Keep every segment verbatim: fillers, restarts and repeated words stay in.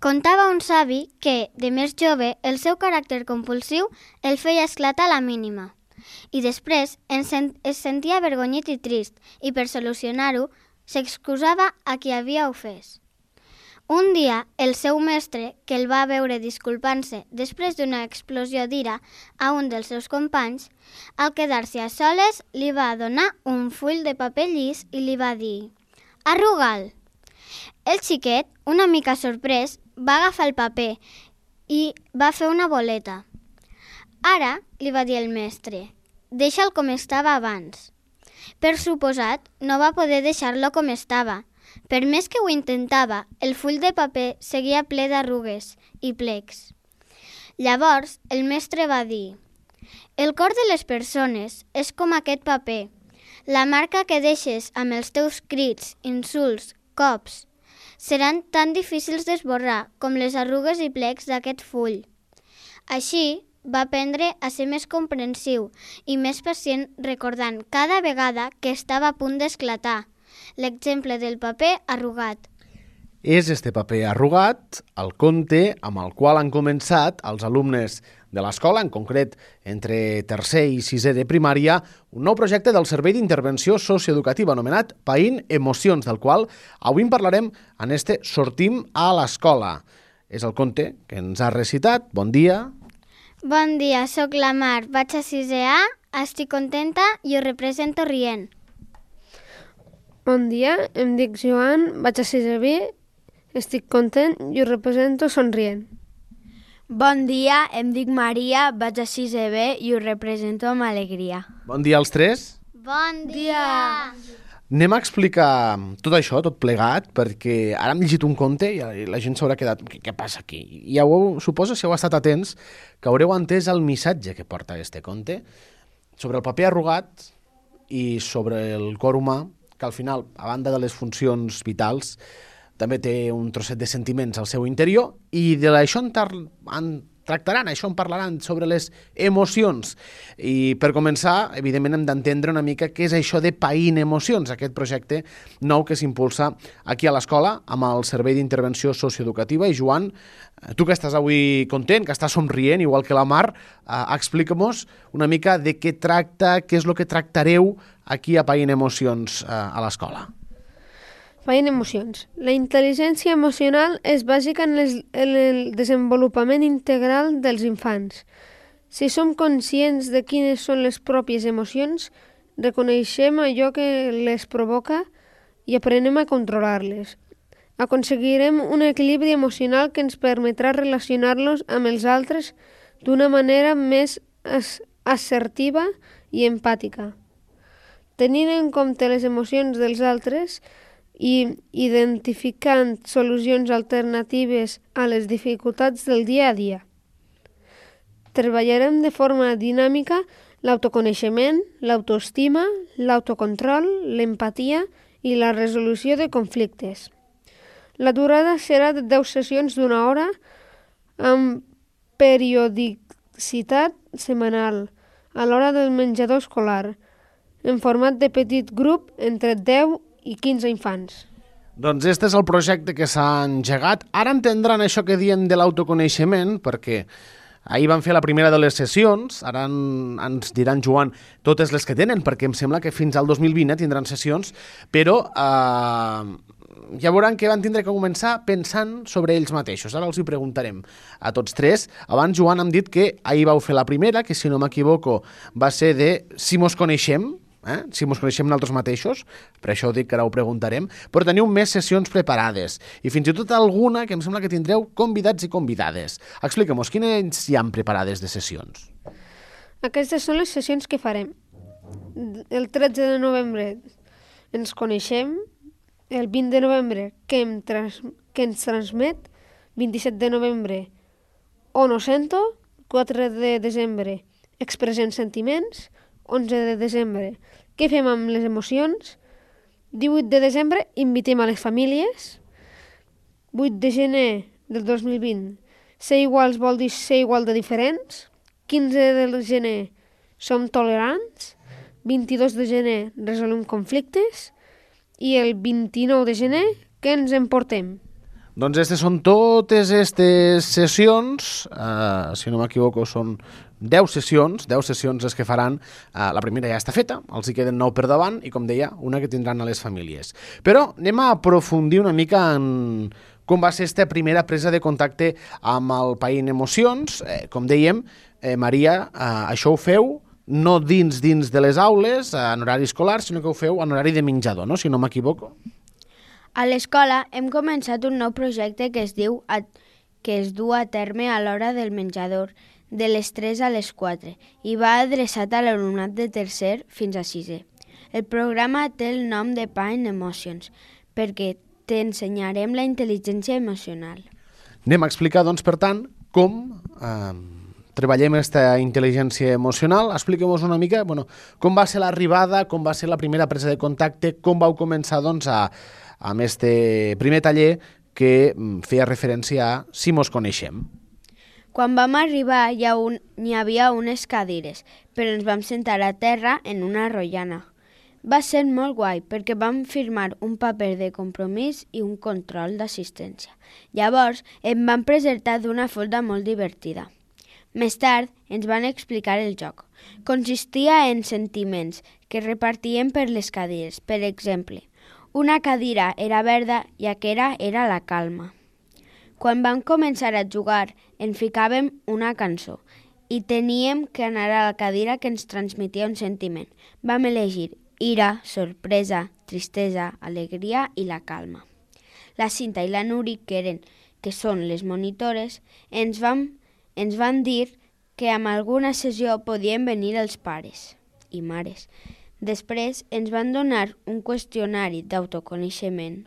Contava un savi que, de més jove, el seu caràcter compulsiu el feia esclatar a la mínima. I després es sentia avergonyit i trist, i per solucionar-ho s'excusava a qui havia ofès. Un dia, el seu mestre, que el va veure disculpant-se després d'una explosió d'ira a un dels seus companys, al quedar-se a soles li va donar un full de paper llis i li va dir «Arruga'l». El xiquet, una mica sorprès, va agafar el paper i va fer una boleta. «Ara», li va dir el mestre, «deixa'l com estava abans». Per suposat, no va poder deixar-lo com estava. Per més que ho intentava, el full de paper seguia ple d'arrugues i plecs. Llavors, el mestre va dir: «El cor de les persones és com aquest paper. La marca que deixes amb els teus crits, insults, cops, seran tan difícils d'esborrar com les arrugues i plecs d'aquest full». Així, va aprendre a ser més comprensiu i més pacient, recordant cada vegada que estava a punt d'esclatar. L'exemple del paper arrugat. És este paper arrugat el conte amb el qual han començat els alumnes de l'escola, en concret entre tercer i sisè de primària, un nou projecte del Servei d'Intervenció Socioeducativa anomenat Païn Emocions, del qual avui en parlarem en este Sortim a l'escola. És el conte que ens ha recitat. Bon dia. Bon dia, sóc la Mar, vaig a sisè A, estic contenta i ho represento rient. Bon dia, em dic Joan, vaig a sisè B, estic content i ho represento somrient. Bon dia, em dic Maria, vaig a sisè B i ho represento amb alegria. Bon dia als tres. Bon dia! Anem a explicar tot això, tot plegat, perquè ara hem llegit un conte i la gent s'haurà quedat... Què, què passa aquí? I heu, suposo, si heu estat atents, que haureu entès el missatge que porta este conte sobre el paper arrugat i sobre el cor humà, que al final, a banda de les funcions vitals, també té un trosset de sentiments al seu interior, i d'això en, tar- en tractaran, això en parlaran, sobre les emocions. I per començar, evidentment, hem d'entendre una mica què és això de Païn Emocions, aquest projecte nou que s'impulsa aquí a l'escola amb el Servei d'Intervenció Socioeducativa. I Joan, tu que estàs avui content, que estàs somrient, igual que la Mar, eh, explica-mos una mica de què tracta, què és el que tractareu aquí a Païn Emocions eh, a l'escola. Païn Emocions. La intel·ligència emocional és bàsica en, les, en el desenvolupament integral dels infants. Si som conscients de quines són les pròpies emocions, reconeixem allò que les provoca i aprenem a controlar-les. Aconseguirem un equilibri emocional que ens permetrà relacionar-nos amb els altres d'una manera més assertiva i empàtica. Tenint en compte les emocions dels altres i identificant solucions alternatives a les dificultats del dia a dia. Treballarem de forma dinàmica l'autoconeixement, l'autoestima, l'autocontrol, l'empatia i la resolució de conflictes. La durada serà de deu sessions d'una hora amb periodicitat setmanal a l'hora del menjador escolar, en format de petit grup entre deu i quinze infants. Doncs este és el projecte que s'ha engegat. Ara entendran això que diem de l'autoconeixement, perquè ahir van fer la primera de les sessions, ara en, ens diran, Joan, totes les que tenen, perquè em sembla que fins al dos mil vint tindran sessions, però eh, ja veuran que van tindre que començar pensant sobre ells mateixos. Ara els hi preguntarem a tots tres. Abans, Joan, hem dit que ahir vau fer la primera, que si no m'equivoco va ser de si mos coneixem, Eh? si ens coneixem nosaltres mateixos, per això dic que ara ho preguntarem, però teniu més sessions preparades i fins i tot alguna que em sembla que tindreu convidats i convidades. Explica-mos, quines hi han preparades de sessions? Aquestes són les sessions que farem. El tretze de novembre ens coneixem, el vint de novembre que, em trans, que ens transmet, vint-i-set de novembre on ho sento, quatre de desembre expressem sentiments, onze de desembre què fem amb les emocions, divuit de desembre invitem a les famílies, vuit de gener del dos mil vint ser iguals vol dir ser igual de diferents, quinze de gener som tolerants, vint-i-dos de gener resolem conflictes i el vint-i-nou de gener què ens emportem? Doncs aquestes són totes aquestes sessions, eh, si no m'equivoco són deu sessions, deu sessions les que faran, eh, la primera ja està feta, els hi queden nou per davant i com deia, una que tindran a les famílies. Però anem a aprofundir una mica en com va ser aquesta primera presa de contacte amb el Païn Emocions. Eh, com dèiem, eh, Maria, eh, això ho feu no dins dins de les aules, en horari escolar, sinó que ho feu en horari de menjador, no? Si no m'equivoco. A l'escola hem començat un nou projecte que es diu a, que es du a terme a l'hora del menjador, de les tres a les quatre, i va adreçat a l'alumnat de tercer fins a sisè. El programa té el nom de Païn Emotions, perquè t'ensenyarem la intel·ligència emocional. Anem a explicar, doncs, per tant, com eh, treballem aquesta intel·ligència emocional. Expliquem-nos una mica, bueno, com va ser l'arribada, com va ser la primera presa de contacte, com vau començar, doncs, a, amb este primer taller que feia referència a si mos coneixem. Quan vam arribar hi, ha un, hi havia unes cadires, però ens vam sentar a terra en una rotllana. Va ser molt guai perquè vam firmar un paper de compromís i un control d'assistència. Llavors em van presentar d'una forma molt divertida. Més tard ens van explicar el joc. Consistia en sentiments que repartien per les cadires. Per exemple, una cadira era verda i aquella era la calma. Quan vam començar a jugar, en ficàvem una cançó i teníem que anar a la cadira que ens transmetia un sentiment. Vam elegir ira, sorpresa, tristesa, alegria i la calma. La Cinta i la Nuri, que, eren, que són les monitores, ens van, ens van dir que amb alguna sessió podien venir els pares i mares. Després ens van donar un qüestionari d'autoconeixement.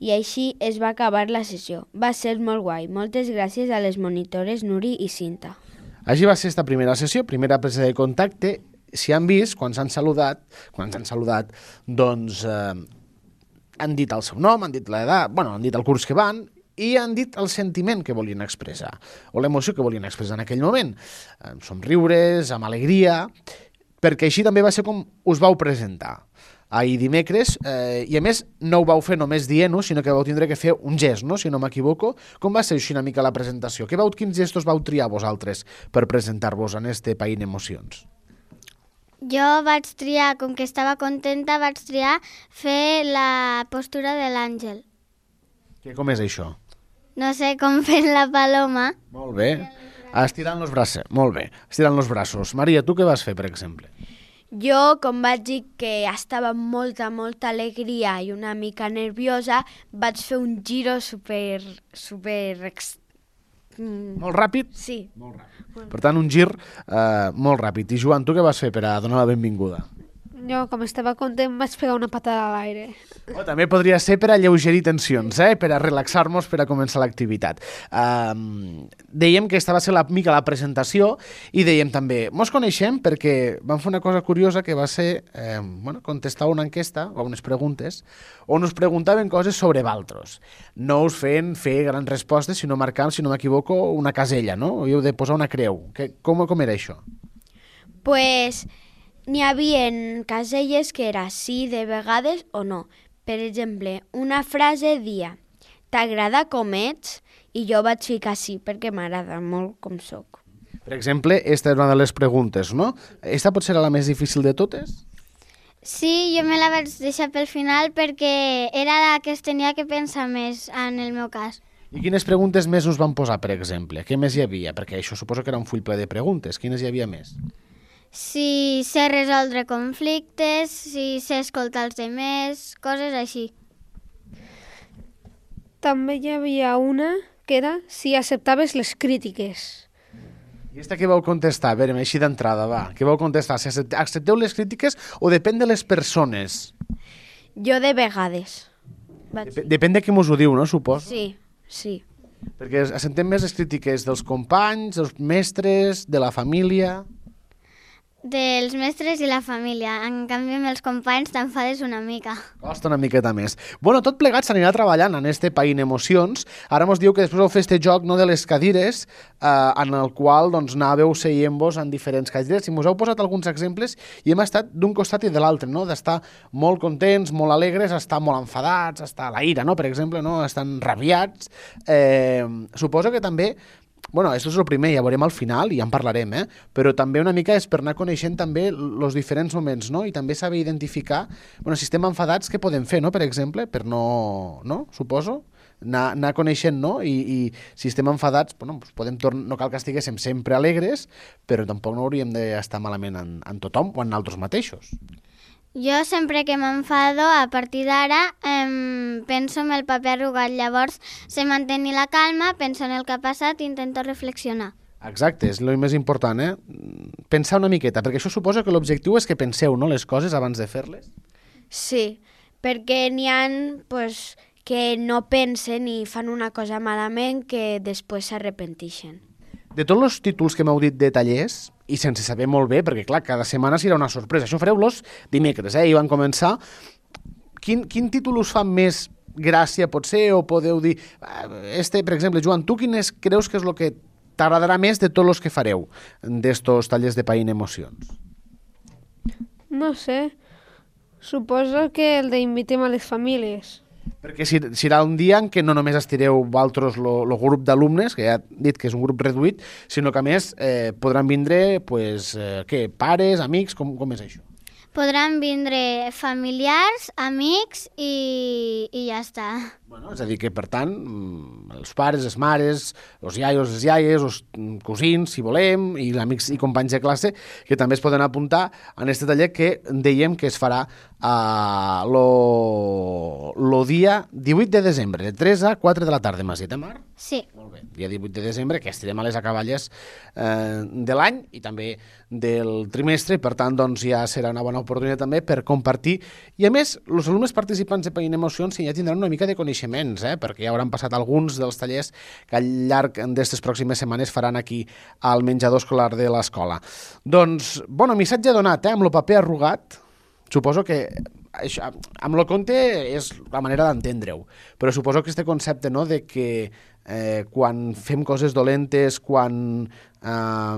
I així es va acabar la sessió. Va ser molt guai. Moltes gràcies a les monitores Nuri i Cinta. Així va ser esta primera sessió, primera presa de contacte. Si han vist, quan s'han saludat, quan s'han saludat, doncs eh, han dit el seu nom, han dit l'edat, bueno, han dit el curs que van i han dit el sentiment que volien expressar, o l'emoció que volien expressar en aquell moment. Amb somriures, amb alegria, perquè així també va ser com us vau presentar ahir dimecres, eh, i a més no ho vau fer només dient-ho, sinó que vau tindre que fer un gest, no? Si no m'equivoco. Com va ser així una mica la presentació? Que vau, quins gestos vau triar vosaltres per presentar-vos en este Païn Emocions? Jo vaig triar, com que estava contenta, vaig triar fer la postura de l'àngel. Que com és això? No sé com fer la paloma. Molt bé. Estirant els braços. Molt bé. Estirant els braços. Maria, tu què vas fer, per exemple? Jo, com vaig dir que estava amb molta, molta alegria i una mica nerviosa, vaig fer un giro super... super... Ex... Mm. Molt ràpid? Sí. Molt ràpid. Per tant, un gir eh, molt ràpid. I Joan, tu què vas fer per a donar la benvinguda? Jo, com estava content, vaig pegar una patada a l'aire. Oh, també podria ser per a lleugerir tensions, eh? Per a relaxar-nos per a començar l'activitat. Um, dèiem que aquesta va ser la mica la presentació i dèiem també, mos coneixem perquè vam fer una cosa curiosa que va ser eh, bueno, contestar una enquesta o unes preguntes on us preguntaven coses sobre valtros. No us feien fer grans respostes, sinó marcant, si no m'equivoco, una casella, no? Heu de posar una creu. Que, com, com era això? Pues... n'hi havia caselles que era sí de vegades o no. Per exemple, una frase dia «T'agrada com ets?» i jo vaig ficar sí perquè m'agrada molt com soc. Per exemple, esta és una de les preguntes, no? Esta pot ser la més difícil de totes? Sí, jo me la vaig deixar pel final perquè era la que es tenia que pensar més en el meu cas. I quines preguntes més us van posar, per exemple? Què més hi havia? Perquè això suposo que era un full ple de preguntes. Quines hi havia més? Si sé resoldre conflictes, si sé escoltar els demés, coses així. També hi havia una que era si acceptaves les crítiques. I aquesta què vau contestar? A veure, així d'entrada, va. Què vau contestar? Si accepteu les crítiques o depèn de les persones? Jo de vegades. Vaig... Dep depèn de qui mos ho diu, no? Suposo. Sí, sí. Perquè acceptem més les crítiques dels companys, dels mestres, de la família... dels mestres i la família. En canvi, amb els companys t'enfades una mica. Costa una miqueta més. Bueno, tot plegat s'anirà treballant en este Païn Emocions. Ara mos diu que després vau fer este joc, no, de les cadires, eh, en el qual doncs, anàveu seient-vos en diferents cadires i mos heu posat alguns exemples i hem estat d'un costat i de l'altre, no? D'estar molt contents, molt alegres, estar molt enfadats, estar a la ira, no? Per exemple, no? Estan rabiats. Eh, suposo que també bueno, això és el primer, ja veurem al final i ja en parlarem, eh? Però també una mica és per anar coneixent també els diferents moments, no? I també saber identificar, bueno, si estem enfadats, què podem fer, no? Per exemple, per no... no? Suposo? Anar, anar coneixent, no? I, i si estem enfadats, bueno, doncs podem tornar... No cal que estiguéssim sempre alegres, però tampoc no hauríem d'estar malament en, en tothom o en nosaltres mateixos. Jo sempre que m'enfado, a partir d'ara, eh, penso en el paper arrugat. Llavors, sé mantenir la calma, penso en el que ha passat i intento reflexionar. Exacte, és el més important, eh? Pensar una miqueta, perquè això suposa que l'objectiu és que penseu, no?, les coses abans de fer-les. Sí, perquè n'hi ha pues, que no pensen i fan una cosa malament que després s'arrepentixen. De tots els títols que m'heu dit de tallers, i sense saber molt bé, perquè clar, cada setmana serà una sorpresa, això fareu-los dimecres, eh? I van començar. Quin, quin títol us fa més gràcia, potser, o podeu dir... Este, per exemple, Joan, tu quin és, creus que és el que t'agradarà més de tots els que fareu d'estos tallers de Païn Emocions? No sé. Suposo que el d'invitem a les famílies. Perquè serà un dia en què no només estireu vosaltres el grup d'alumnes, que ja he dit que és un grup reduït, sinó que a més eh, podran vindre pues, eh, què, pares, amics, com, com és això? Podran vindre familiars, amics i, i ja està. Bueno, és a dir que, per tant, els pares, les mares, els iaios, les iaies, els cosins, si volem, i amics i companys de classe, que també es poden apuntar en aquest taller que dèiem que es farà uh, lo, lo dia divuit de desembre, de tres a quatre de la tarda, m'has dit, eh, Mar? Sí. Molt bé. Dia divuit de desembre, que estirem a les acaballes eh, de l'any i també del trimestre, per tant, doncs ja serà una bona oportunitat també per compartir. I a més, els alumnes participants de Païn Emocions ja tindran una mica de coneixements, eh, perquè ja hauran passat alguns dels tallers que al llarg d'aquestes pròximes setmanes faran aquí al menjador escolar de l'escola. Doncs, bueno, missatge donat, eh, amb el paper arrugat. Suposo que això, amb el conte és la manera d'entendre-ho, però suposo que este concepte, no?, de que eh, quan fem coses dolentes, quan eh,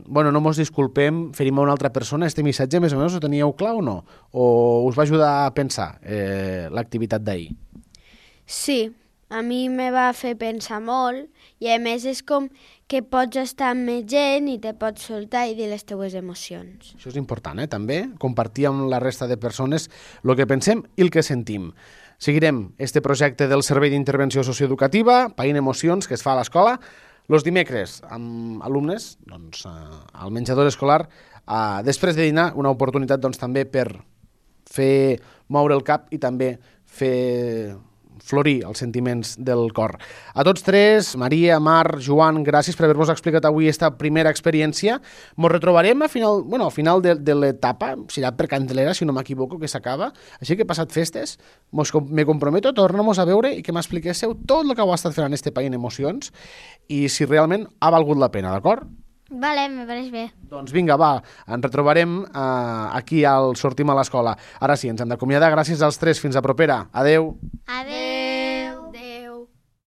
bueno, no mos disculpem, ferim a una altra persona, este missatge més o menys ho teníeu clar o no? O us va ajudar a pensar eh, l'activitat d'ahir? Sí, a mi me va fer pensar molt i a més és com que pots estar amb més gent i te pots soltar i dir les teues emocions. Això és important, eh, també, compartir amb la resta de persones el que pensem i el que sentim. Seguirem este projecte del Servei d'Intervenció Socioeducativa, Païn Emocions, que es fa a l'escola, els dimecres amb alumnes doncs, al menjador escolar, eh, després de dinar, una oportunitat doncs, també per fer moure el cap i també fer florir els sentiments del cor. A tots tres, Maria, Mar, Joan, gràcies per haver-nos explicat avui esta primera experiència. Ens retrobarem a final, bueno, al final de, de l'etapa, serà per Candelera, si no m'equivoco, que s'acaba. Així que passat festes, mos, me comprometo a tornar-nos a veure i que m'expliquéssiu tot el que heu estat fent en este Païn Emocions i si realment ha valgut la pena, d'acord? Vale, me pareix bé. Doncs vinga, va, ens retrobarem eh, aquí al Sortim a l'escola. Ara sí, ens hem d'acomiadar. Gràcies als tres. Fins a propera. Adeu. Adeu.